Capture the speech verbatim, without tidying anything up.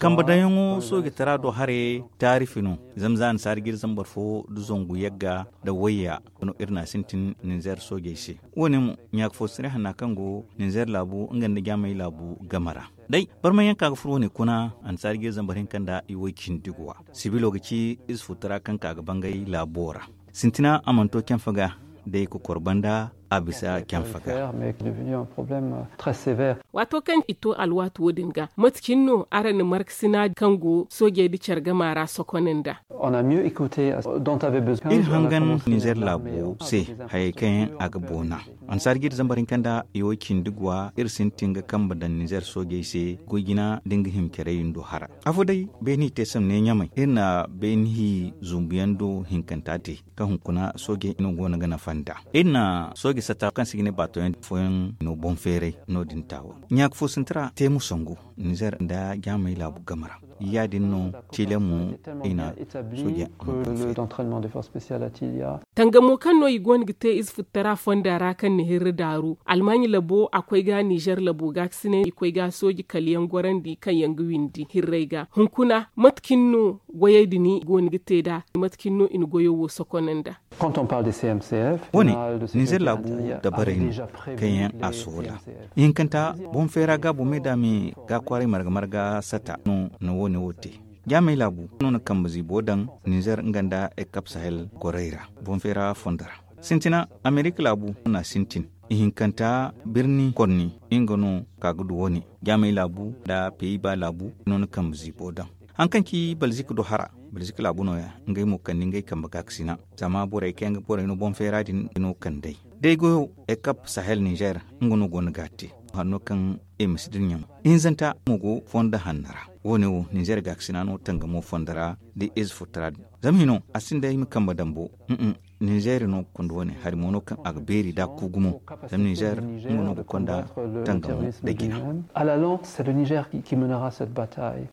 Kambe daŋyaŋo soojitara do haray taarifi no. Zama za annasaara ga iri zambar fo nda zangu yagga nda wayya no iri n'a sintin ninzeer soojey se. Wo- ne mo ɲaaka fo sirri hanna kaŋ go ninzeer laabu nga nda jaamay laabu game ra. Day barmayaŋ ka ga furo wo- ne kuna annasaara ga iri zambar hinka nda i way cindi guwa. Sibilo ga ci ize futtara kaŋ ka ga bangay laabo ra. Sintina a mana to canfa ga day kokor banda a bisa canfa ga. Waato kaŋ i to alwaati wo- din ga mate cine no araŋ na markasina kaŋ go soojey nda care gama ra sokon nda? Iri hangan ninzeer laabo se hayey kaŋ yaŋ a ga boona. Annasaara ga iri zambar hinka nda i way cindi guwa iri sintin ga kambe daŋ ninzeer soojey se goy jina nda nga hima care yindo hara. Afo day beeni i te samne ɲamay iri na beeni hi zumbuyaŋ do hinkanta te kaŋ hunkuna soojey no go no ga nafa nd'a. Iri na sooje sata kaŋ se i ga ne baato yaŋ fooyaŋ no boŋ feeray no- din taawa ɲaaka fo sinti ra te mo sangu ninzeer nda jaamay laabu game ra. Ya- din no tiile mo i na sooje. Tangamo kaŋ no i go no ga te ize futtara fonda ra kaŋ na hirri daaru almaaɲi labo a koy ga nizeer labo gaakasinay i koy ga sooji kala yaŋ gorandi kaŋ yaŋ ga windi hirray ga hunkuna mate cine no wayey din i go no ga te nd'a? Mate cine no i na goyo wo sokon nd'a? Wo- ne ninzeer laabu dabarey no kaŋ yaŋ a soola. Ihinkanta boŋ feera gaabo me da me ga kwaaray marga marga sata no na wo- ne wo te. Jaamay laabu no na kambe ziibo daŋ ninzeer nga nda ekap sahel gorey ra boŋ feera fondo ra. Sintina amerika laabu no a sintin. Ihinkanta birni konni nga no ka ga du wo- ne. Jaamay laabu nda peyiba laabu no na kambe ziibo daŋ. Hari kaŋ ci balzik do hara balzik laabu nooya ngey mo kande ngey kambe gaakasina. Zama borey kaŋ yaŋ ga borey no boŋ feera din no kand'ey. Day goyo ekap sahel ninzeer nga no go no ga a te. Hanno kaŋ i ma si dira ɲaŋ ihinzanta mo go fondo hanno ra. Wo- ne wo ninzeer gaakasina no tangamo fondo ra da ize futtara din. Zama hino a sinda i ma kambe dambo. Ninzeer no ga konda wo- ne hari mo no kaŋ a ga beeri da ku gumo. Zama ninzeer nga no ga konda tangamo da jina. À la langue c'est le niger qui menera cette bataille.